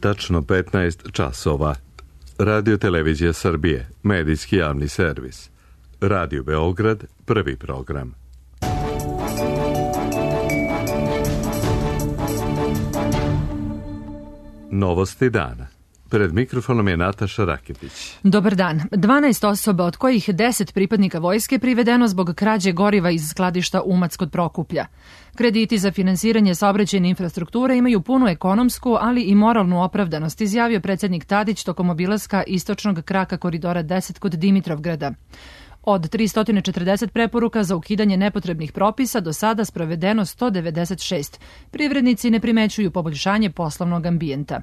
Tačno 15 časova. Radio Televizija Srbije, medijski javni servis. Radio Beograd, prvi program. Novosti dana. Pred mikrofonom je Nataša Raketić. Dobar dan. 12 osoba, od kojih 10 pripadnika vojske, privedeno zbog krađe goriva iz skladišta Umac kod Prokuplja. Krediti za finansiranje saobraćajne infrastrukture imaju punu ekonomsku, ali i moralnu opravdanost, izjavio predsjednik Tadić tokom obilaska istočnog kraka koridora 10 kod Dimitrovgrada. Od 340 preporuka za ukidanje nepotrebnih propisa do sada sprovedeno 196. Privrednici ne primećuju poboljšanje poslovnog ambijenta.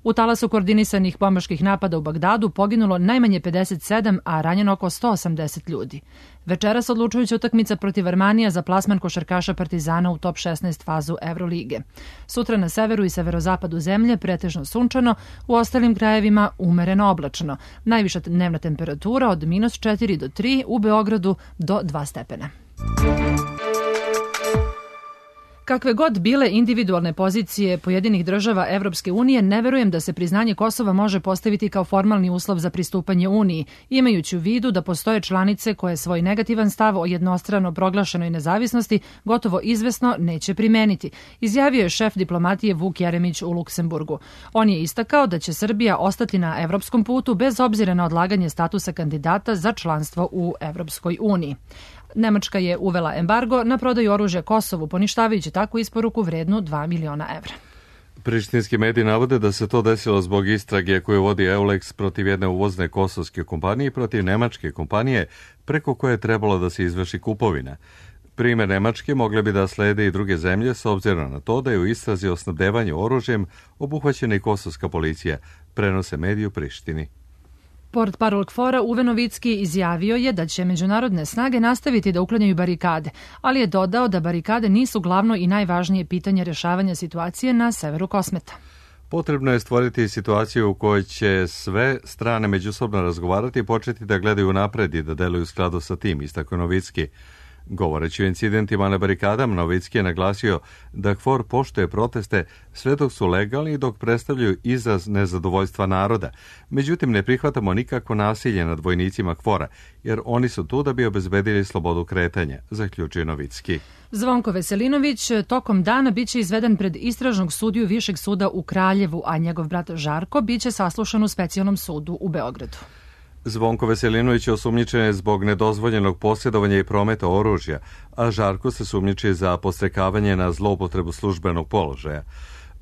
U talasu koordinisanih bombaških napada u Bagdadu poginulo najmanje 57, a ranjeno oko 180 ljudi. Večeras odlučujuća utakmica protiv Armanija za plasman košarkaša Partizana u top 16 fazu Evrolige. Sutra na severu i severozapadu zemlje pretežno sunčano, u ostalim krajevima umereno oblačno. Najviša dnevna temperatura od -4 do 3, u Beogradu do 2 stepena. Kakve god bile individualne pozicije pojedinih država Evropske unije, ne verujem da se priznanje Kosova može postaviti kao formalni uslov za pristupanje Uniji, imajući u vidu da postoje članice koje svoj negativan stav o jednostrano proglašenoj nezavisnosti gotovo izvesno neće primeniti, izjavio je šef diplomatije Vuk Jeremić u Luksemburgu. On je istakao da će Srbija ostati na evropskom putu bez obzira na odlaganje statusa kandidata za članstvo u Evropskoj uniji. Nemačka je uvela embargo na prodaju oružja Kosovu, poništavajući takvu isporuku vrednu 2 miliona evra. Prištinski mediji navode da se to desilo zbog istrage koju vodi Eulex protiv jedne uvozne kosovske kompanije i protiv nemačke kompanije preko koje je trebalo da se izvrši kupovina. Primer Nemačke mogle bi da slede i druge zemlje s obzirom na to da je u istrazi o snabdevanju oružjem obuhvaćena i kosovska policija, prenose mediji u Prištini. Portparol KFOR-a Uwe Novicki izjavio je da će međunarodne snage nastaviti da uklanjaju barikade, ali je dodao da barikade nisu glavno i najvažnije pitanje rješavanja situacije na severu Kosmeta. Potrebno je stvoriti situaciju u kojoj će sve strane međusobno razgovarati i početi da gledaju napred i da deluju u skladu sa tim, istakao Novicki. Govoreći o incidentima na barikadama, Novicki je naglasio da KFOR poštuje proteste sve dok su legalni i dok predstavljaju izraz nezadovoljstva naroda. Međutim, ne prihvatamo nikakvo nasilje nad vojnicima KFOR-a, jer oni su tu da bi obezbedili slobodu kretanja, zaključio Novicki. Zvonko Veselinović tokom dana biće izveden pred istražnog sudiju Višeg suda u Kraljevu, a njegov brat Žarko biće saslušan u specijalnom sudu u Beogradu. Zvonko Veselinović je osumnjičen zbog nedozvoljenog posjedovanja i prometa oružja, a Žarko se sumnjiči za podstrekavanje na zloupotrebu službenog položaja.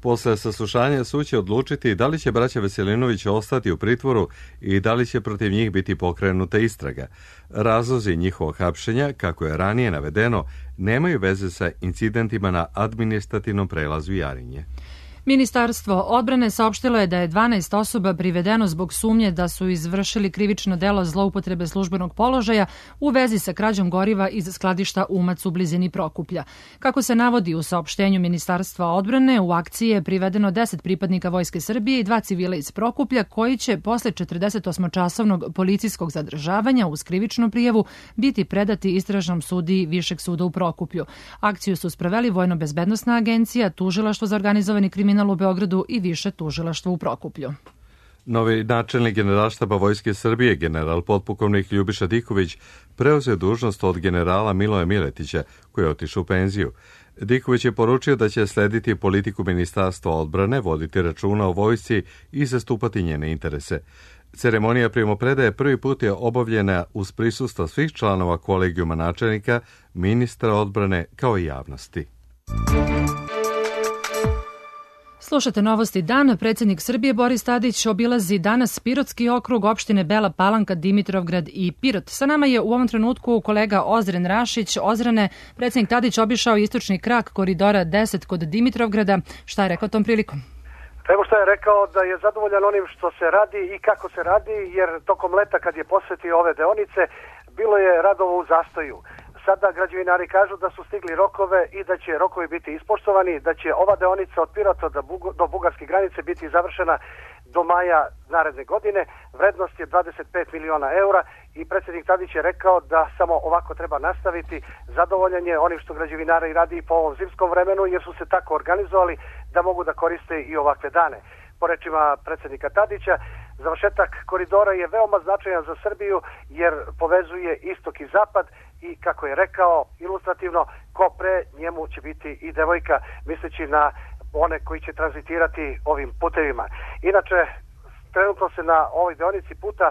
Posle saslušanja sud će odlučiti da li će braća Veselinović ostati u pritvoru i da li će protiv njih biti pokrenuta istraga. Razlozi njihovog hapšenja, kako je ranije navedeno, nemaju veze sa incidentima na administrativnom prelazu Jarinje. Ministarstvo odbrane saopštilo je da je 12 osoba privedeno zbog sumnje da su izvršili krivično delo zloupotrebe službenog položaja u vezi sa krađom goriva iz skladišta Umac u blizini Prokuplja. Kako se navodi u saopštenju Ministarstva odbrane, u akciji je privedeno 10 pripadnika Vojske Srbije i 2 civila iz Prokuplja koji će posle 48-časovnog policijskog zadržavanja uz krivičnu prijavu biti predati istražnom sudiji Višeg suda u Prokuplju. Akciju su sproveli Vojno-bezbednosna agencija, Tužilaštvo za organizovani kriminal u Beogradu i Više tužilaštvo u Prokuplju. Novi načelnik Generalštaba Vojske Srbije, general potpukovnik Ljubiša Diković, preuzeo dužnost od generala Miloja Miletića, koji je otišao u penziju. Diković je poručio da će slediti politiku Ministarstva odbrane, voditi računa o vojsci i zastupati njene interese. Ceremonija primopredaje prvi put je obavljena uz prisustvo svih članova kolegijuma načelnika, ministra odbrane kao i javnosti. Slušate Novosti dan. Predsjednik Srbije Boris Tadić obilazi danas Pirotski okrug, opštine Bela Palanka, Dimitrovgrad i Pirot. Sa nama je u ovom trenutku kolega Ozren Rašić. Ozrene, predsjednik Tadić obišao istočni krak koridora 10 kod Dimitrovgrada. Šta je rekao tom prilikom? Evo što je rekao, da je zadovoljan onim što se radi i kako se radi, jer tokom leta kad je posvetio ove deonice, bilo je radova u zastoju. Sada građevinari kažu da su stigli rokove i da će rokovi biti ispoštovani, da će ova deonica od Pirota do bugarske granice biti završena do maja naredne godine. Vrednost je 25 miliona eura i predsjednik Tadić je rekao da samo ovako treba nastaviti. Zadovoljan je onim što građevinari radi po ovom zimskom vremenu, jer su se tako organizovali da mogu da koriste i ovakve dane. po rečima predsjednika Tadića. Završetak koridora je veoma značajan za Srbiju jer povezuje istok i zapad i kako je rekao ilustrativno, ko pre njemu će biti i devojka, misleći na one koji će tranzitirati ovim putevima. Inače, trenutno se na ovoj deonici puta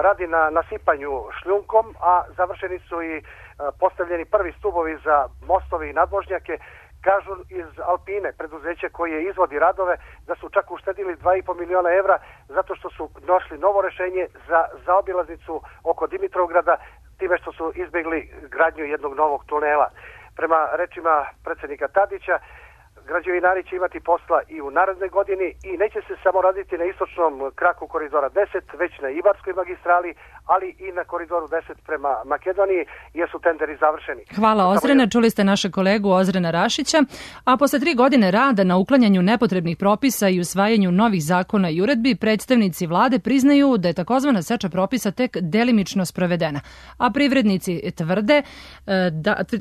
radi na nasipanju šljunkom, a završeni su i postavljeni prvi stubovi za mostovi i nadvožnjake. Kažu iz Alpine, preduzeće koje izvodi radove, da su čak uštedili 2,5 miliona evra zato što su našli novo rešenje za zaobilaznicu oko Dimitrovgrada, time što su izbjegli gradnju jednog novog tunela. Prema rečima predsjednika Tadića, građevinari će imati posla i u narednoj godini i neće se samo raditi na istočnom kraku koridora 10, već na Ibarskoj magistrali, ali i na koridoru 10 prema Makedoniji, jer su tenderi završeni. Hvala Ozrena, čuli ste naše kolegu Ozrena Rašića, a posle 3 godine rada na uklanjanju nepotrebnih propisa i usvajanju novih zakona i uredbi, predstavnici vlade priznaju da je takozvana seča propisa tek delimično sprovedena, a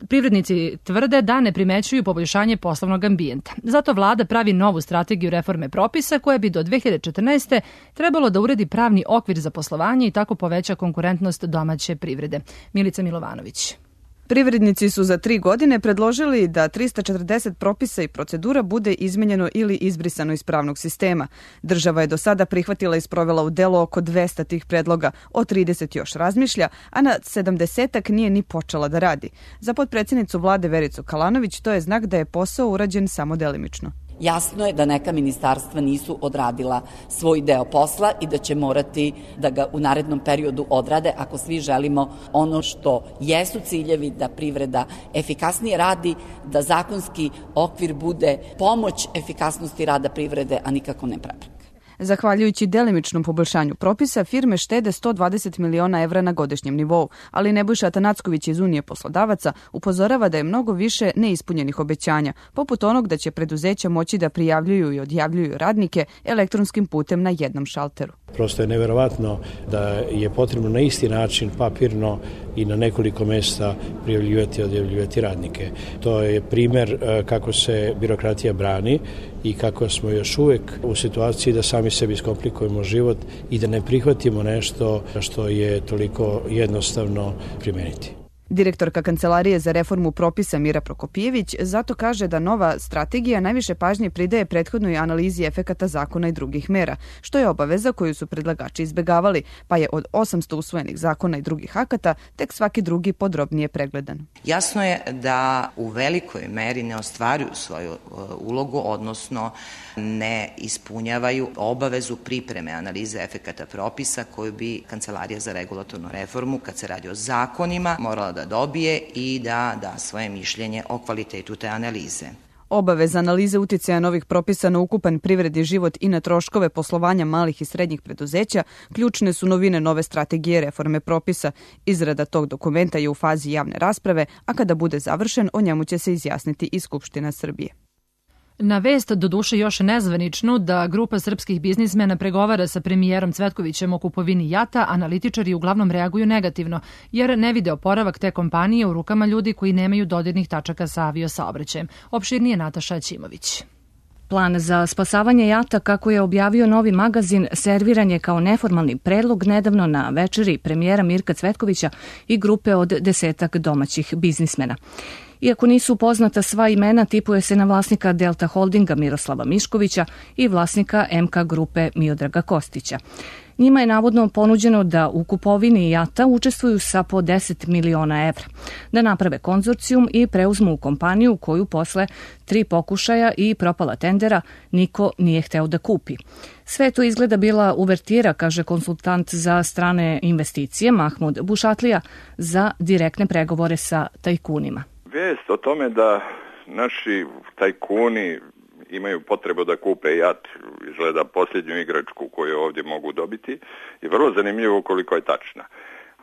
privrednici tvrde da ne primećuju poboljšanje poslovnog ambijenta. Zato vlada pravi novu strategiju reforme propisa koja bi do 2014. trebalo da uredi pravni okvir za poslovanje i tako poveća konkurentnost domaće privrede. Milica Milovanović. Privrednici su za 3 godine predložili da 340 propisa i procedura bude izmenjeno ili izbrisano iz pravnog sistema. Država je do sada prihvatila i sprovela u delo oko 200 tih predloga, o 30 još razmišlja, a na 70-ak nije ni počela da radi. Za potpredsjednicu vlade Vericu Kalanović to je znak da je posao urađen samo delimično. Jasno je da neka ministarstva nisu odradila svoj deo posla i da će morati da ga u narednom periodu odrade ako svi želimo ono što jesu ciljevi, da privreda efikasnije radi, da zakonski okvir bude pomoć efikasnosti rada privrede, a nikako ne prepreka. Zahvaljujući delimičnom poboljšanju propisa, firme štede 120 miliona evra na godišnjem nivou, ali Nebojša Atanacković iz Unije poslodavaca upozorava da je mnogo više neispunjenih obećanja, poput onog da će preduzeća moći da prijavljuju i odjavljuju radnike elektronskim putem na jednom šalteru. Prosto je neverovatno da je potrebno na isti način papirno i na nekoliko mesta prijavljivati i odjavljivati radnike. To je primjer kako se birokratija brani i kako smo još uvek u situaciji da sami sebi skomplikujemo život i da ne prihvatimo nešto što je toliko jednostavno primeniti. Direktorka Kancelarije za reformu propisa Mira Prokopijević zato kaže da nova strategija najviše pažnje pridaje prethodnoj analizi efekata zakona i drugih mera, što je obaveza koju su predlagači izbegavali, pa je od 800 usvojenih zakona i drugih akata tek svaki drugi podrobnije pregledan. Jasno je da u velikoj meri ne ostvaruju svoju ulogu, odnosno ne ispunjavaju obavezu pripreme analize efekata propisa koju bi Kancelarija za regulatornu reformu, kad se radi o zakonima, morala da dobije i da da svoje mišljenje o kvalitetu te analize. Obaveza analize uticaja novih propisa na ukupan privredni život i na troškove poslovanja malih i srednjih preduzeća ključne su novine nove strategije reforme propisa. Izrada tog dokumenta je u fazi javne rasprave, a kada bude završen, o njemu će se izjasniti i Skupština Srbije. Na vest, doduše još nezvaničnu, da grupa srpskih biznismena pregovara sa premijerom Cvetkovićem o kupovini JAT-a, analitičari uglavnom reaguju negativno, jer ne vide oporavak te kompanije u rukama ljudi koji nemaju dodirnih tačaka sa aviosaobraćajem. Opširnije Nataša Ćimović. Plan za spasavanje JAT-a, kako je objavio Novi magazin, serviran je kao neformalni predlog nedavno na večeri premijera Mirka Cvetkovića i grupe od 10 domaćih biznismena. Iako nisu poznata sva imena, tipuje se na vlasnika Delta Holdinga Miroslava Miškovića i vlasnika MK grupe Miodraga Kostića. Njima je navodno ponuđeno da u kupovini JAT-a učestvuju sa po 10 miliona evra, da naprave konzorcijum i preuzmu kompaniju koju posle 3 pokušaja i propala tendera niko nije hteo da kupi. Sve to izgleda bila uvertira, kaže konsultant za strane investicije Mahmud Bušatlija, za direktne pregovore sa tajkunima. Vijest o tome da naši tajkuni imaju potrebu da kupe JAT, izgleda posljednju igračku koju ovdje mogu dobiti, je vrlo zanimljivo koliko je tačna.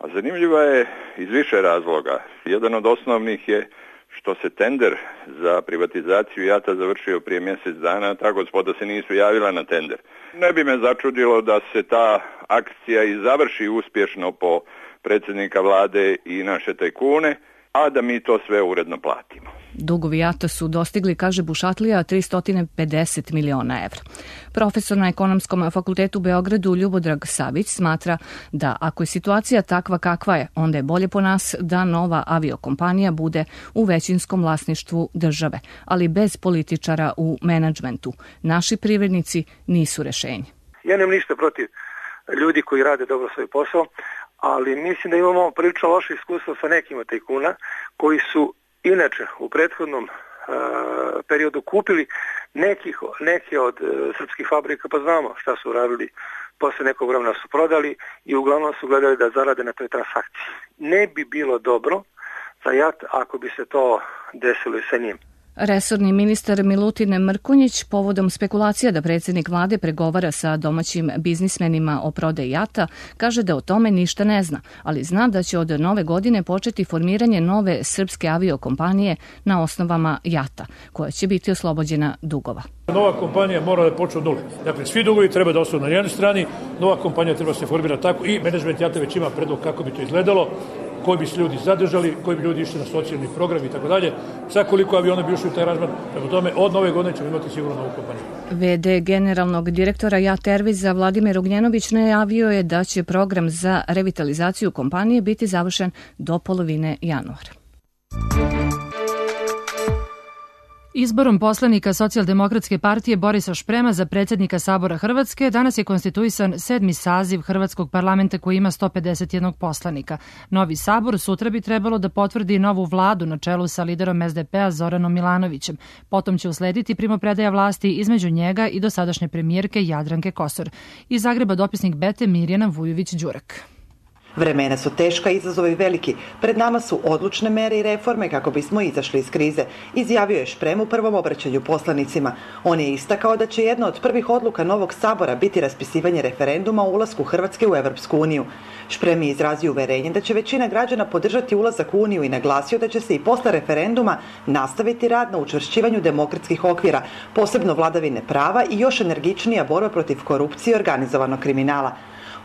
A zanimljiva je iz više razloga. Jedan od osnovnih je što se tender za privatizaciju JAT-a završio prije mjesec dana, ta gospoda se nisu javila na tender. Ne bi me začudilo da se ta akcija i završi uspješno po predsjednika vlade i naše tajkune, a da mi to sve uredno platimo. Dugovi JAT-a su dostigli, kaže Bušatlija, 350 miliona evra. Profesor na Ekonomskom fakultetu u Beogradu Ljubodrag Savić smatra da ako je situacija takva kakva je, onda je bolje po nas da nova aviokompanija bude u većinskom vlasništvu države, ali bez političara u menadžmentu. Naši privrednici nisu rešenje. Ja nemam ništa protiv ljudi koji rade dobro svoj posao, ali mislim da imamo prilično loše iskustvo sa nekima tajkuna koji su inače u prethodnom periodu kupili neke od srpskih fabrika, pa znamo šta su radili, posle nekog vremena su prodali i uglavnom su gledali da zarade na toj transakciji. Ne bi bilo dobro za JAT ako bi se to desilo i sa njim. Resorni ministar Milutin Mrkonjić povodom spekulacija da predsjednik vlade pregovara sa domaćim biznismenima o prodaji JAT-a kaže da o tome ništa ne zna, ali zna da će od nove godine početi formiranje nove srpske aviokompanije na osnovama JAT-a, koja će biti oslobođena dugova. Nova kompanija mora da počne od nule. Dakle, svi dugovi treba da ostanu na jednoj strani, nova kompanija treba se formirati tako i menadžment JAT-a već ima predlog kako bi to izgledalo, koji bi se ljudi zadržali, koji bi ljudi išli na socijalni program i tako dalje. Sad koliko aviona bi ušli u taj razmar, prema tome od nove godine ćemo imati sigurno novu kompaniju. VD generalnog direktora JAT Airwaysa Vladimir Ugnjenović najavio je da će program za revitalizaciju kompanije biti završen do polovine januara. Izborom poslanika Socijaldemokratske partije Borisa Šprema za predsjednika Sabora Hrvatske danas je konstituisan 7. saziv Hrvatskog parlamenta koji ima 151 poslanika. Novi Sabor sutra bi trebalo da potvrdi novu vladu na čelu sa liderom SDP-a Zoranom Milanovićem. Potom će uslediti primopredaja vlasti između njega i dosadašnje premijerke Jadranke Kosor. Iz Zagreba dopisnik Bete Mirjana Vujović-Đurak. Vremena su teška, izazovi veliki. Pred nama su odlučne mere i reforme kako bismo izašli iz krize, izjavio je Šprem u prvom obraćanju poslanicima. On je istakao da će jedna od prvih odluka novog Sabora biti raspisivanje referenduma o ulasku Hrvatske u Evropsku uniju. Šprem je izrazio uverenje da će većina građana podržati ulazak u Uniju i naglasio da će se i posle referenduma nastaviti rad na učvršćivanju demokratskih okvira, posebno vladavine prava i još energičnija borba protiv korupcije i organizovanog kriminala.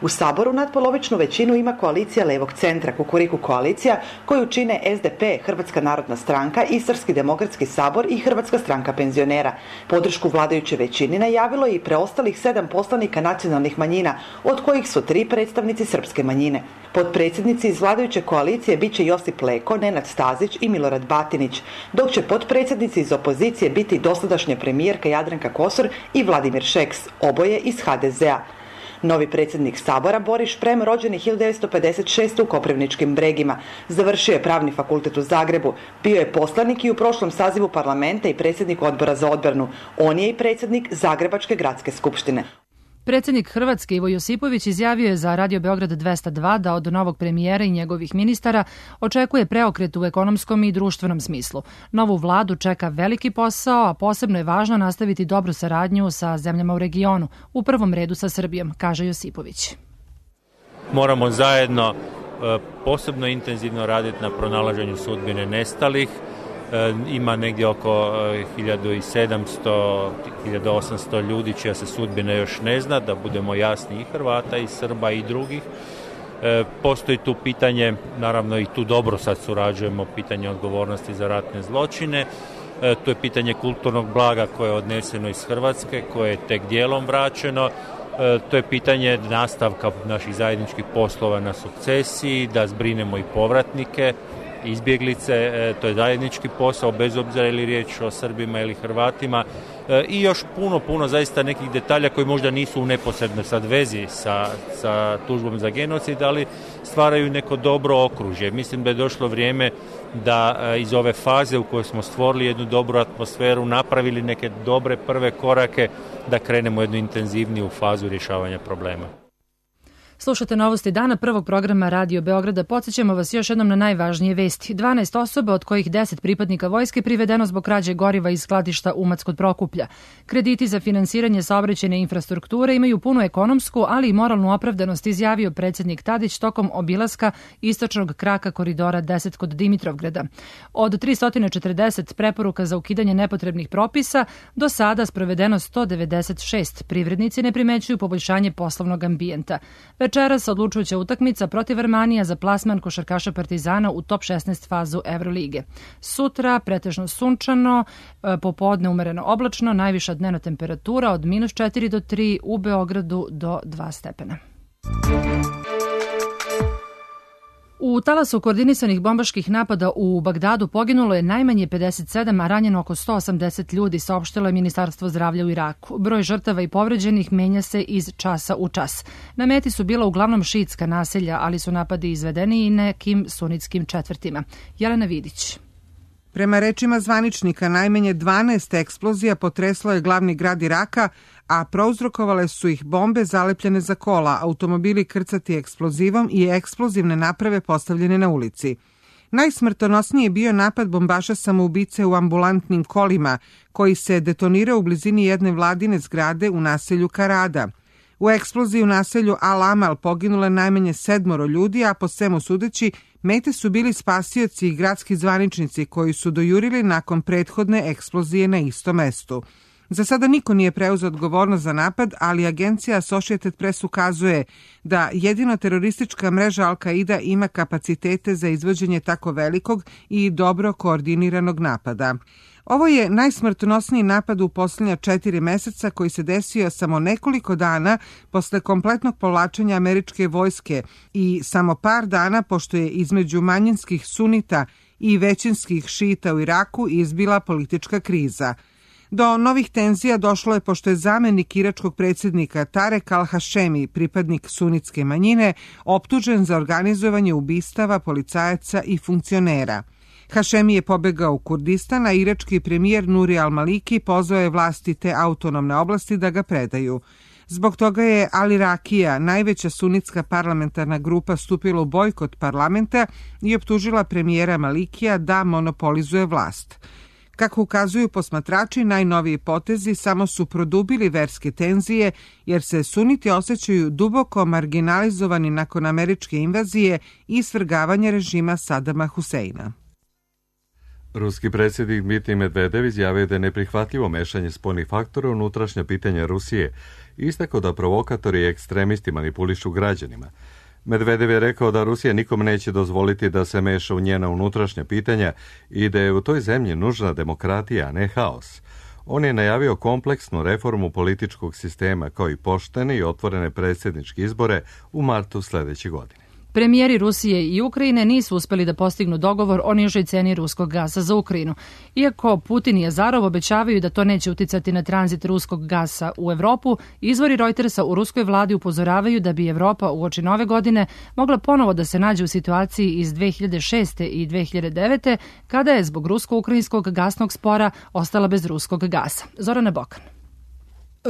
U Saboru nadpolovičnu većinu ima koalicija levog centra, Kukuriku koalicija, koju čine SDP, Hrvatska narodna stranka, Istarski demokratski sabor i Hrvatska stranka penzionera. Podršku vladajuće većini najavilo je i preostalih 7 poslanika nacionalnih manjina, od kojih su 3 predstavnici srpske manjine. Potpredsjednici iz vladajuće koalicije biće Josip Leko, Nenad Stazić i Milorad Batinić, dok će potpredsjednici iz opozicije biti dosadašnja premijerka Jadranka Kosor i Vladimir Šeks, oboje iz HDZ-a. Novi predsjednik Sabora Boris Šprem, rođeni 1956. u Koprivničkim Bregima. Završio je Pravni fakultet u Zagrebu. Bio je poslanik i u prošlom sazivu parlamenta i predsjednik odbora za odbranu. On je i predsjednik Zagrebačke gradske skupštine. Predsjednik Hrvatske Ivo Josipović izjavio je za Radio Beograd 202 da od novog premijera i njegovih ministara očekuje preokret u ekonomskom i društvenom smislu. Novu vladu čeka veliki posao, a posebno je važno nastaviti dobru saradnju sa zemljama u regionu, u prvom redu sa Srbijom, kaže Josipović. Moramo zajedno posebno intenzivno raditi na pronalaženju sudbine nestalih. Ima negdje oko 1700, 1800 ljudi čija se sudbina još ne zna, da budemo jasni, i Hrvata i Srba i drugih. Postoji tu pitanje, naravno i tu dobro sad surađujemo, pitanje odgovornosti za ratne zločine. To je pitanje kulturnog blaga koje je odneseno iz Hrvatske, koje je tek dijelom vraćeno. To je pitanje nastavka naših zajedničkih poslova na sukcesiji, da zbrinemo i povratnike, izbjeglice, to je zajednički posao, bez obzira ili riječ o Srbima ili Hrvatima, i još puno zaista nekih detalja koji možda nisu u neposrednoj sad vezi sa tužbom za genocid, ali stvaraju neko dobro okružje. Mislim da je došlo vrijeme da iz ove faze u kojoj smo stvorili jednu dobru atmosferu, napravili neke dobre prve korake, da krenemo jednu intenzivniju fazu rješavanja problema. Slušate novosti dana prvog programa Radio Beograda. Podsjećamo vas još jednom na najvažnije vesti. 12 osoba, od kojih 10 pripadnika vojske, privedeno zbog krađe goriva iz skladišta Umac kod Prokuplja. Krediti za finansiranje saobraćajne infrastrukture imaju punu ekonomsku, ali i moralnu opravdanost, izjavio predsjednik Tadić tokom obilaska istočnog kraka koridora 10 kod Dimitrovgrada. Od 340 preporuka za ukidanje nepotrebnih propisa, do sada sprovedeno 196. Privrednici ne primećuju poboljšanje poslovnog ambijenta. Večeras odlučujuća utakmica protiv Armanija za plasman košarkaša Partizana u top 16 fazu Evrolige. Sutra pretežno sunčano, popodne umereno oblačno, najviša dnevna temperatura od -4 do 3, u Beogradu do 2 stepena. U talasu koordinisanih bombaških napada u Bagdadu poginulo je najmanje 57, a ranjeno oko 180 ljudi, saopštilo je Ministarstvo zdravlja u Iraku. Broj žrtava i povređenih menja se iz časa u čas. Na meti su bila uglavnom šiitska naselja, ali su napadi izvedeni i nekim sunitskim četvrtima. Jelena Vidić. Prema rečima zvaničnika, najmanje 12 eksplozija potreslo je glavni grad Iraka, a prouzrokovale su ih bombe zalepljene za kola, automobili krcati eksplozivom i eksplozivne naprave postavljene na ulici. Najsmrtonosniji je bio napad bombaša samoubice u ambulantnim kolima, koji se detonirao u blizini jedne vladine zgrade u naselju Karada. U eksploziji u naselju Al-Amal poginulo je najmanje 7 ljudi, a po svemu sudeći, mete su bili spasioci i gradski zvaničnici koji su dojurili nakon prethodne eksplozije na istom mestu. Za sada niko nije preuzeo odgovornost za napad, ali agencija Associated Press ukazuje da jedino teroristička mreža Al-Qaida ima kapacitete za izvođenje tako velikog i dobro koordiniranog napada. Ovo je najsmrtonosniji napad u posljednja 4 meseca koji se desio samo nekoliko dana posle kompletnog povlačenja američke vojske i samo par dana pošto je između manjinskih sunita i većinskih šita u Iraku izbila politička kriza. Do novih tenzija došlo je pošto je zamenik iračkog predsjednika Tarek al-Hašemi, pripadnik sunitske manjine, optužen za organizovanje ubistava policajaca i funkcionera. Hašemi je pobegao u Kurdistan, a irački premijer Nuri al-Maliki pozvao je vlasti te autonomne oblasti da ga predaju. Zbog toga je Al-Irakija, najveća sunitska parlamentarna grupa, stupila u bojkot parlamenta i optužila premijera Malikija da monopolizuje vlast. Kako ukazuju posmatrači, najnoviji potezi samo su produbili verske tenzije, jer se suniti osjećaju duboko marginalizovani nakon američke invazije i svrgavanja režima Sadama Huseina. Ruski predsjednik Dmitrij Medvedev izjavio da je neprihvatljivo mešanje spoljnih faktora u unutrašnja pitanja Rusije i istakao da provokatori i ekstremisti manipulišu građanima. Medvedev je rekao da Rusija nikom neće dozvoliti da se meša u njena unutrašnja pitanja i da je u toj zemlji nužna demokratija, a ne haos. On je najavio kompleksnu reformu političkog sistema kao i poštene i otvorene predsjedničke izbore u martu sljedeće godine. Premijeri Rusije i Ukrajine nisu uspeli da postignu dogovor o nižoj ceni ruskog gasa za Ukrajinu. Iako Putin i Azarov obećavaju da to neće uticati na tranzit ruskog gasa u Evropu, izvori Reutersa u ruskoj vladi upozoravaju da bi Evropa uoči nove godine mogla ponovo da se nađe u situaciji iz 2006. i 2009. kada je zbog rusko-ukrajinskog gasnog spora ostala bez ruskog gasa. Zorana Bokan.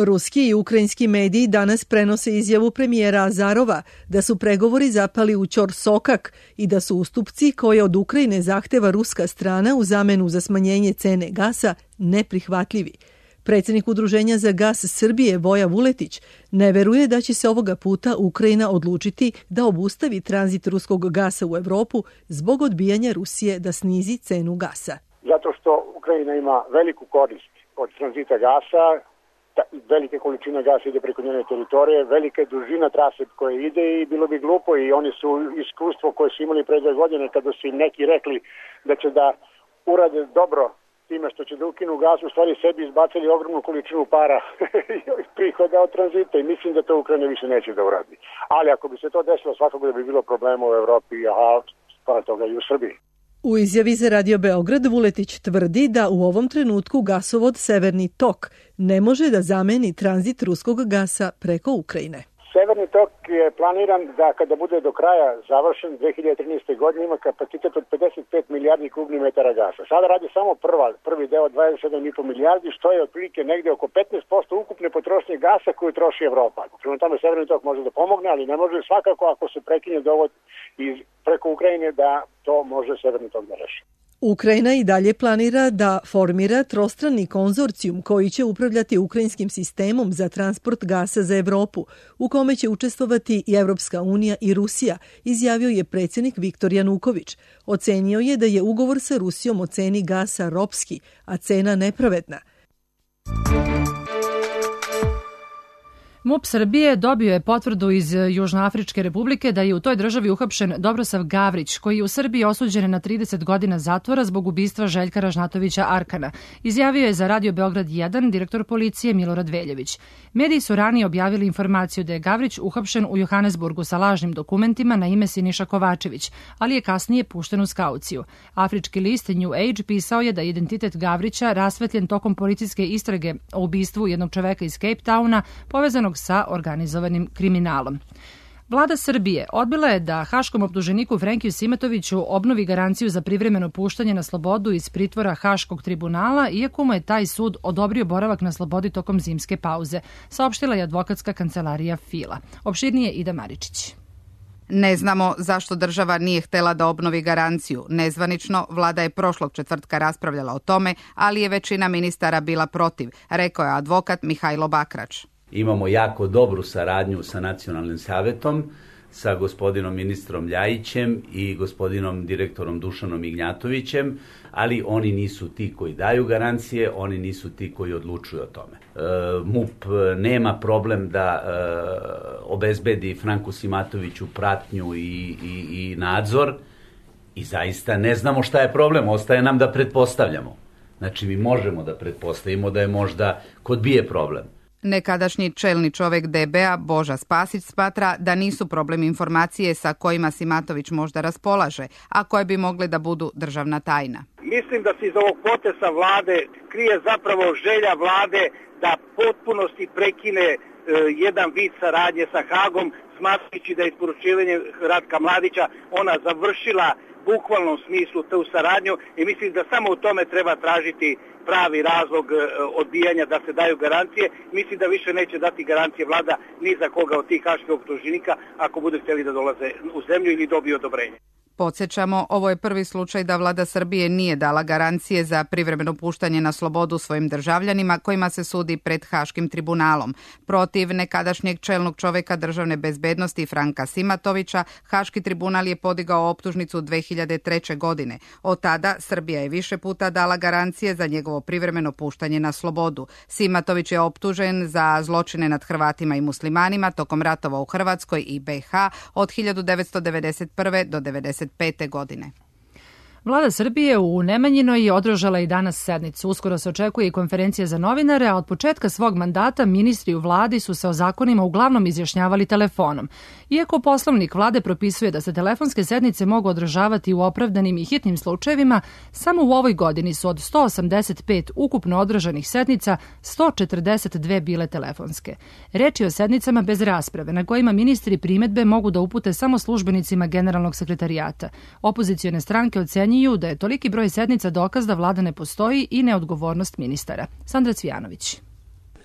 Ruski i ukrajinski mediji danas prenose izjavu premijera Azarova da su pregovori zapali u ćorsokak i da su ustupci koje od Ukrajine zahteva ruska strana u zamenu za smanjenje cene gasa neprihvatljivi. Predsjednik Udruženja za gas Srbije Voja Vuletić ne veruje da će se ovoga puta Ukrajina odlučiti da obustavi tranzit ruskog gasa u Evropu zbog odbijanja Rusije da snizi cenu gasa. Zato što Ukrajina ima veliku korist od tranzita gasa, velike količine gasa ide preko njene teritorije, velika je dužina trase koje ide i bilo bi glupo i oni su iskustvo koje su imali pre 2 godine kada su im neki rekli da će da urade dobro time što će da ukinu gas, u stvari sebi izbacili ogromnu količinu para prihoda od tranzita i mislim da to Ukrajina više neće da uradi. Ali ako bi se to desilo, svakako da bi bilo problema u Evropi, a pored toga i u Srbiji. U izjavi za Radio Beograd Vuletić tvrdi da u ovom trenutku gasovod Severni tok ne može da zameni tranzit ruskog gasa preko Ukrajine. Severni tok je planiran da kada bude do kraja završen 2013. godine ima kapacitet od 55 milijardi kubnih metara gasa. Sada radi samo prvi deo 27,5 milijardi, što je otprilike negde oko 15% ukupne potrošnje gasa koju troši Evropa. Prema tome Severni tok može da pomogne, ali ne može svakako ako se prekine dovod preko Ukrajine da to može Severni tok da reši. Ukrajina i dalje planira da formira trostrani konzorcijum koji će upravljati ukrajinskim sistemom za transport gasa za Evropu, u kome će učestvovati i Evropska unija i Rusija, izjavio je predsjednik Viktor Januković. Ocenio je da je ugovor sa Rusijom o ceni gasa ropski, a cena nepravedna. MUP Srbije dobio je potvrdu iz Južnoafričke republike da je u toj državi uhapšen Dobrosav Gavrić, koji je u Srbiji osuđen na 30 godina zatvora zbog ubistva Željka Ražnatovića Arkana. Izjavio je za Radio Beograd 1 direktor policije Milorad Veljević. Mediji su ranije objavili informaciju da je Gavrić uhapšen u Johannesburgu sa lažnim dokumentima na ime Siniša Kovačević, ali je kasnije pušten uz kauciju. Afrički list New Age pisao je da je identitet Gavrića rasvetljen tokom policijske istrage o ubistvu jednog čoveka iz Cape Towna povezanog sa organizovanim kriminalom. Vlada Srbije odbila je da haškom optuženiku Frenkiju Simatoviću obnovi garanciju za privremeno puštanje na slobodu iz pritvora Haškog tribunala, iako mu je taj sud odobrio boravak na slobodi tokom zimske pauze, saopštila je advokatska kancelarija Fila. Opširnije Ida Maričić. Ne znamo zašto država nije htela da obnovi garanciju. Nezvanično, vlada je prošlog četvrtka raspravljala o tome, ali je većina ministara bila protiv, rekao je advokat Mihajlo Bakrač. Imamo jako dobru saradnju sa Nacionalnim savetom, sa gospodinom ministrom Ljajićem i gospodinom direktorom Dušanom Ignjatovićem, ali oni nisu ti koji daju garancije, oni nisu ti koji odlučuju o tome. MUP nema problem da obezbedi Franku Simatoviću pratnju i nadzor i zaista ne znamo šta je problem, ostaje nam da pretpostavljamo. Znači mi možemo da pretpostavimo da je možda kod BIA problem. Nekadašnji čelni čovek DB-a Boža Spasić smatra da nisu problem informacije sa kojima Simatović možda raspolaže, a koje bi mogle da budu državna tajna. Mislim da se iz ovog poteza vlade krije zapravo želja vlade da potpunosti prekine jedan vid saradnje sa Hagom, smatrajući da je isporučivanje Ratka Mladića ona završila bukvalnom smislu tu saradnju i mislim da samo u tome treba tražiti pravi razlog odbijanja da se daju garancije. Mislim da više neće dati garancije vlada ni za koga od tih haških optuženika ako bude htjeli da dolaze u zemlju ili dobiju odobrenje. Podsjećamo, ovo je prvi slučaj da vlada Srbije nije dala garancije za privremeno puštanje na slobodu svojim državljanima kojima se sudi pred Haškim tribunalom. Protiv nekadašnjeg čelnog čoveka državne bezbednosti Franka Simatovića, Haški tribunal je podigao optužnicu 2003. godine. Od tada Srbija je više puta dala garancije za njegovo privremeno puštanje na slobodu. Simatović je optužen za zločine nad Hrvatima i muslimanima tokom ratova u Hrvatskoj i BiH od 1991. do 1995. godine. Vlada Srbije u Nemanjinoj je održala i danas sednicu. Uskoro se očekuje i konferencija za novinare, a od početka svog mandata ministri u vladi su se o zakonima uglavnom izjašnjavali telefonom. Iako poslovnik vlade propisuje da se telefonske sednice mogu održavati u opravdanim i hitnim slučajevima, samo u ovoj godini su od 185 ukupno održanih sednica 142 bile telefonske. Reč je o sednicama bez rasprave, na kojima ministri primedbe mogu da upute samo službenicima generalnog sekretarijata. Opozicione stranke ocenjuju da je toliki broj sednica dokaz da vlada ne postoji i neodgovornost ministara. Sandra Cvijanović.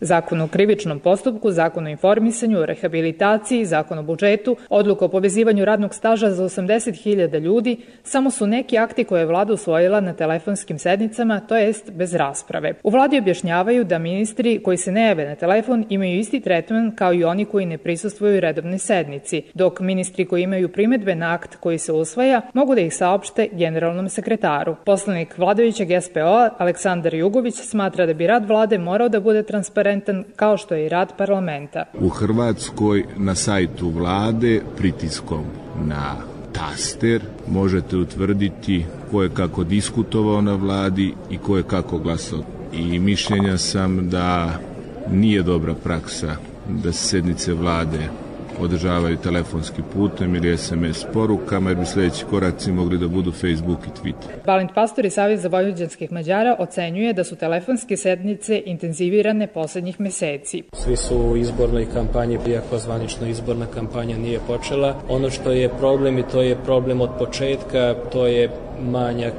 Zakon o krivičnom postupku, zakon o informisanju, rehabilitaciji, zakon o budžetu, odluka o povezivanju radnog staža za 80.000 ljudi, samo su neki akti koje je vlada usvojila na telefonskim sednicama, to jest bez rasprave. U vladi objašnjavaju da ministri koji se ne jave na telefon imaju isti tretman kao i oni koji ne prisustvuju redovnoj sednici, dok ministri koji imaju primedbe na akt koji se usvaja mogu da ih saopšte generalnom sekretaru. Poslanik vladajućeg SPO Aleksandar Jugović smatra da bi rad vlade morao da bude transparentan kao što je i rad parlamenta. U Hrvatskoj na sajtu vlade pritiskom na taster možete utvrditi ko je kako diskutovao na vladi i ko je kako glasao. I mišljenja sam da nije dobra praksa da se sednice vlade održavaju telefonskim putem ili SMS porukama, jer bi sljedeći koraci mogli da budu Facebook i Twitter. Balint Pastor i Savez za vojvođanskih Mađara ocenjuje da su telefonske sednice intenzivirane poslednjih meseci. Svi su u izbornoj kampanji, iako zvanično izborna kampanja nije počela. Ono što je problem i to je problem od početka, to je manjak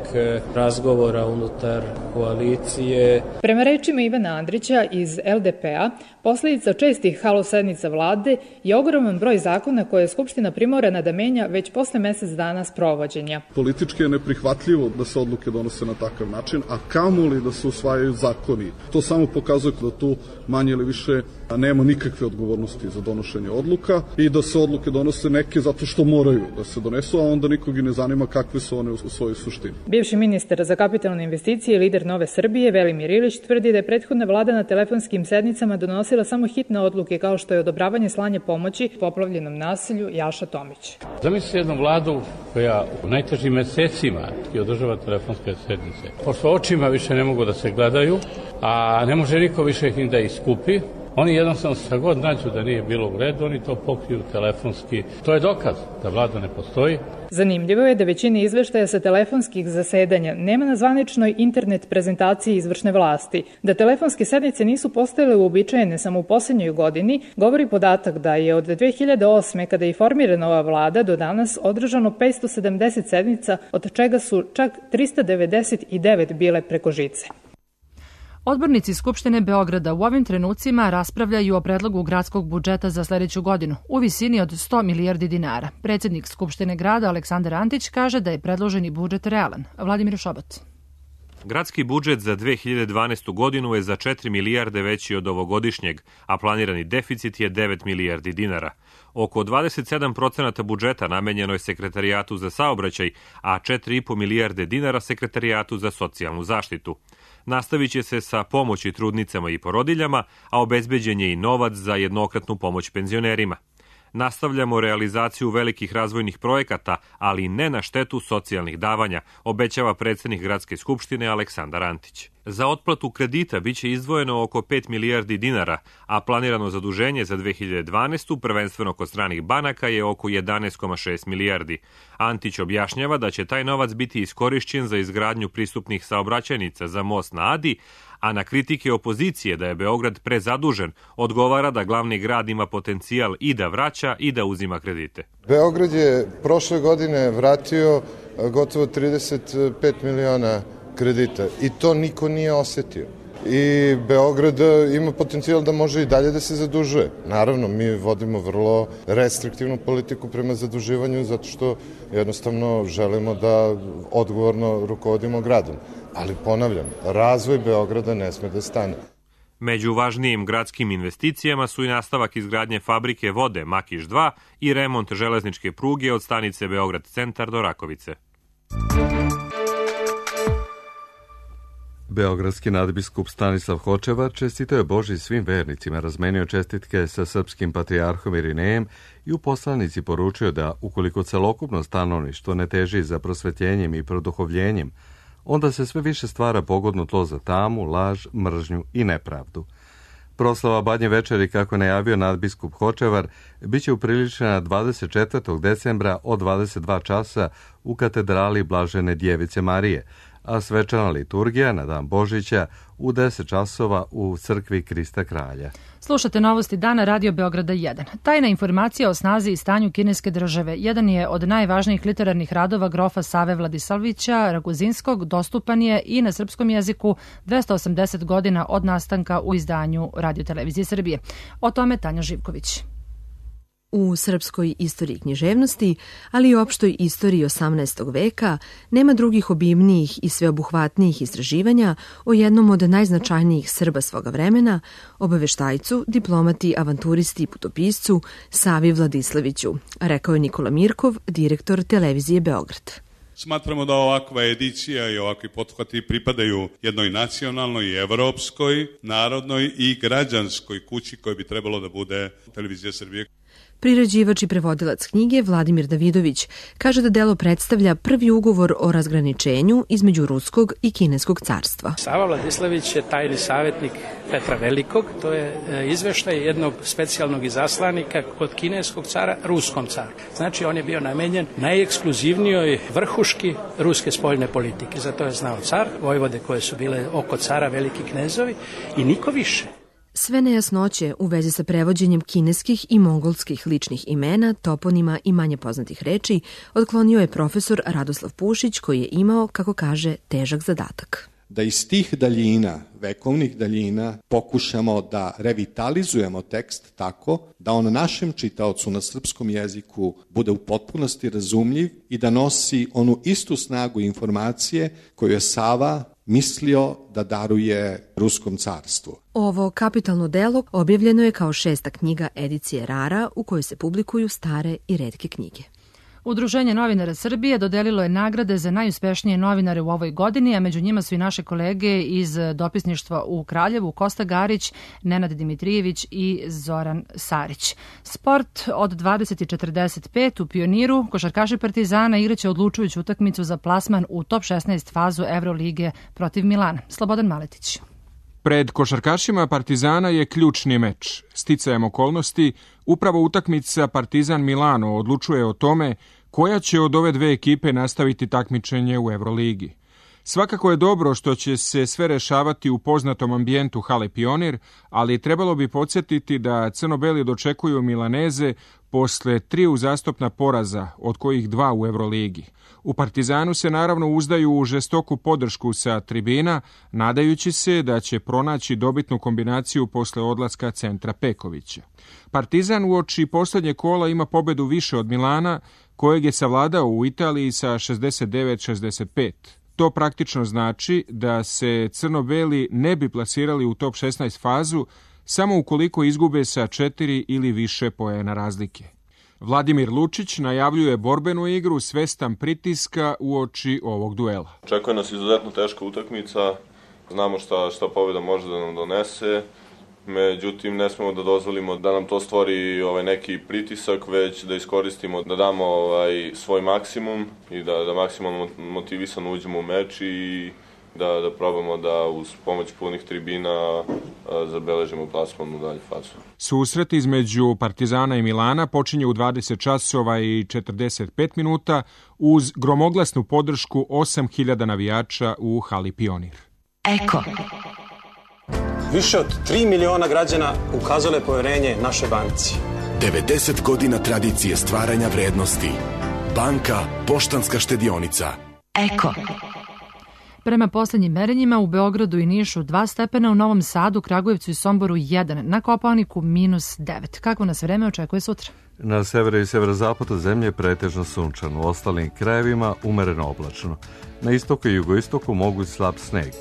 razgovora unutar koalicije. Prema rečima Ivana Andrića iz LDP-a, posljedica čestih halo sednica vlade je ogroman broj zakona koje je Skupština primorana da menja već posle mesec dana sprovođenja. Politički je neprihvatljivo da se odluke donose na takav način, a kamoli da se usvajaju zakoni. To samo pokazuje da tu manje ili više Nema nikakve odgovornosti za donošenje odluka i da se odluke donose neke zato što moraju da se donesu, a onda nikog i ne zanima kakve su one u svojoj suštini. Bivši ministar za kapitalne investicije i lider Nove Srbije Velimir Ilić tvrdi da je prethodna vlada na telefonskim sednicama donosila samo hitne odluke kao što je odobravanje slanja pomoći poplavljenom naselju Jaša Tomić. Zamislite jednu vladu koja u najtežim mesecima održava telefonske sednice. Pošto očima više ne mogu da se gledaju, a ne može niko više ih ni da iskupi, oni jednostavno sa god nađu da nije bilo u redu, oni to pokriju telefonski. To je dokaz da vlada ne postoji. Zanimljivo je da većina izveštaja sa telefonskih zasedanja nema na zvaničnoj internet prezentaciji izvršne vlasti. Da telefonske sednice nisu postojale uobičajene samo u posljednjoj godini, govori podatak da je od 2008. kada je formirana ova vlada do danas održano 570 sednica, od čega su čak 399 bile preko žice. Odbornici Skupštine Beograda u ovim trenucima raspravljaju o predlogu gradskog budžeta za sledeću godinu u visini od 100 milijardi dinara. Predsjednik Skupštine grada Aleksandar Antić kaže da je predloženi budžet realan. Vladimir Šobot. Gradski budžet za 2012. godinu je za 4 milijarde veći od ovogodišnjeg, a planirani deficit je 9 milijardi dinara. Oko 27% budžeta namenjeno je Sekretarijatu za saobraćaj, a 4,5 milijarde dinara Sekretarijatu za socijalnu zaštitu. Nastavit će se sa pomoći trudnicama i porodiljama, a obezbeđen je i novac za jednokratnu pomoć penzionerima. Nastavljamo realizaciju velikih razvojnih projekata, ali ne na štetu socijalnih davanja, obećava predsjednik Gradske skupštine Aleksandar Antić. Za otplatu kredita biće izdvojeno oko 5 milijardi dinara, a planirano zaduženje za 2012. prvenstveno kod stranih banaka je oko 11,6 milijardi. Antić objašnjava da će taj novac biti iskorišćen za izgradnju pristupnih saobraćajnica za most na Adi, a na kritike opozicije da je Beograd prezadužen, odgovara da glavni grad ima potencijal i da vraća i da uzima kredite. Beograd je prošle godine vratio gotovo 35 miliona kredita i to niko nije osetio. I Beograd ima potencijal da može i dalje da se zadužuje. Naravno, mi vodimo vrlo restriktivnu politiku prema zaduživanju zato što jednostavno želimo da odgovorno rukovodimo gradom. Ali ponavljam, razvoj Beograda ne sme da stane. Među važnijim gradskim investicijama su i nastavak izgradnje fabrike vode Makiš 2 i remont železničke pruge od stanice Beograd centar do Rakovice. Beogradski nadbiskup Stanislav Hočevar čestitao je Božji svim vernicima, razmenio čestitke sa srpskim patrijarhom Irinejem i u poslanici poručio da ukoliko celokupno stanovništvo ne teži za prosvetljenjem i produhovljenjem, onda se sve više stvara pogodno tlo za tamu, laž, mržnju i nepravdu. Proslava Badnje večeri, kako je najavio nadbiskup Hočevar, bit će upriličena 24. decembra od 22 časa u katedrali Blažene Djevice Marije, a svečana liturgija na dan Božića u 10 časova u crkvi Krista Kralja. Slušate novosti dana Radio Beograda 1. Tajna informacija o snazi i stanju kineske države jedan je od najvažnijih literarnih radova grofa Save Vladisavljevića Raguzinskog, dostupan je i na srpskom jeziku 280 godina od nastanka u izdanju Radio-televizije Srbije. O tome Tanja Živković. U srpskoj istoriji književnosti, ali i opštoj istoriji 18. veka, nema drugih obimnijih i sveobuhvatnijih istraživanja o jednom od najznačajnijih Srba svoga vremena, obaveštajcu, diplomati, avanturisti i putopiscu Savi Vladislaviću, rekao je Nikola Mirkov, direktor televizije Beograd. Smatramo da ovakva edicija i ovakvi pothvati pripadaju jednoj nacionalnoj i evropskoj, narodnoj i građanskoj kući koja bi trebalo da bude televizija Srbije. Priređivač i prevodilac knjige Vladimir Davidović kaže da delo predstavlja prvi ugovor o razgraničenju između Ruskog i Kineskog carstva. Sava Vladislavić je tajni savjetnik Petra Velikog. To je izveštaj jednog specijalnog izaslanika kod kineskog cara, ruskom caru. Znači on je bio namenjen najekskluzivnijoj vrhuški ruske spoljne politike. Zato je znao car, vojvode koje su bile oko cara, veliki knezovi i niko više. Sve nejasnoće u vezi sa prevođenjem kineskih i mongolskih ličnih imena, toponima i manje poznatih reči otklonio je profesor Radoslav Pušić, koji je imao, kako kaže, težak zadatak. Da iz tih daljina, vekovnih daljina, pokušamo da revitalizujemo tekst tako da on našem čitaocu na srpskom jeziku bude u potpunosti razumljiv i da nosi onu istu snagu informacije koju je Sava mislio da daruje Ruskom carstvu. Ovo kapitalno delo objavljeno je kao 6. knjiga edicije Rara u kojoj se publikuju stare i retke knjige. Udruženje novinara Srbije dodelilo je nagrade za najuspešnije novinare u ovoj godini, a među njima su i naše kolege iz dopisništva u Kraljevu, Kosta Garić, Nenad Dimitrijević i Zoran Sarić. Sport od 20:45 u Pioniru, košarkaši Partizana igraće odlučujuću utakmicu za plasman u top 16 fazu Evrolige protiv Milana. Slobodan Maletić. Pred košarkašima Partizana je ključni meč. Sticajem okolnosti, upravo utakmica Partizan Milano odlučuje o tome koja će od ove dve ekipe nastaviti takmičenje u Evroligi. Svakako je dobro što će se sve rešavati u poznatom ambijentu hale Pionir, ali trebalo bi podsjetiti da crno-beli dočekuju Milaneze posle 3 uzastopna poraza, od kojih 2 u Evroligi. U Partizanu se naravno uzdaju u žestoku podršku sa tribina, nadajući se da će pronaći dobitnu kombinaciju posle odlaska centra Pekovića. Partizan uoči poslednje kola ima pobedu više od Milana, kojeg je savladao u Italiji sa 69-65. To praktično znači da se crno-beli ne bi plasirali u top 16 fazu samo ukoliko izgube sa 4 ili više poena razlike. Vladimir Lučić najavljuje borbenu igru svestan pritiska uoči ovog duela. Očekuje nas izuzetno teška utakmica, znamo šta pobjeda može da nam donese, međutim ne smemo da dozvolimo da nam to stvori neki pritisak, već da iskoristimo, da damo svoj maksimum i da maksimalno motivisano uđemo u meč i da probamo da uz pomoć punih tribina zabeležimo plasman u dalju fazu. Susret između Partizana i Milana počinje u 20 časova i 45 minuta uz gromoglasnu podršku 8.000 navijača u hali Pionir. Eko. Više od 3 miliona građana ukazalo je poverenje našoj banci. 90 godina tradicije stvaranja vrednosti. Banka Poštanska štedionica. Eko. Prema poslednjim merenjima u Beogradu i Nišu 2 stepena, u Novom Sadu, Kragujevcu i Somboru 1, na Kopaoniku -9. Kako nas vreme očekuje sutra? Na severu i severozapadu zemlje pretežno sunčano, u ostalim krajevima umereno oblačno. Na istoku i jugoistoku moguć slab sneg.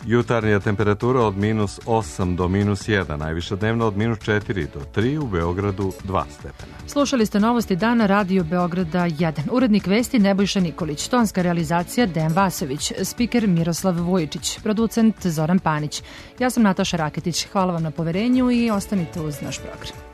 Jutarnja temperatura od -8 do -1, najviša dnevna od -4 do 3, u Beogradu 2 stepena. Slušali ste novosti dana Radio Beograda 1. Urednik vesti Nebojša Nikolić, tonska realizacija Dejan Vasović, spiker Miroslav Vujičić, producent Zoran Panić. Ja sam Nataša Raketić. Hvala vam na poverenju i ostanite uz naš program.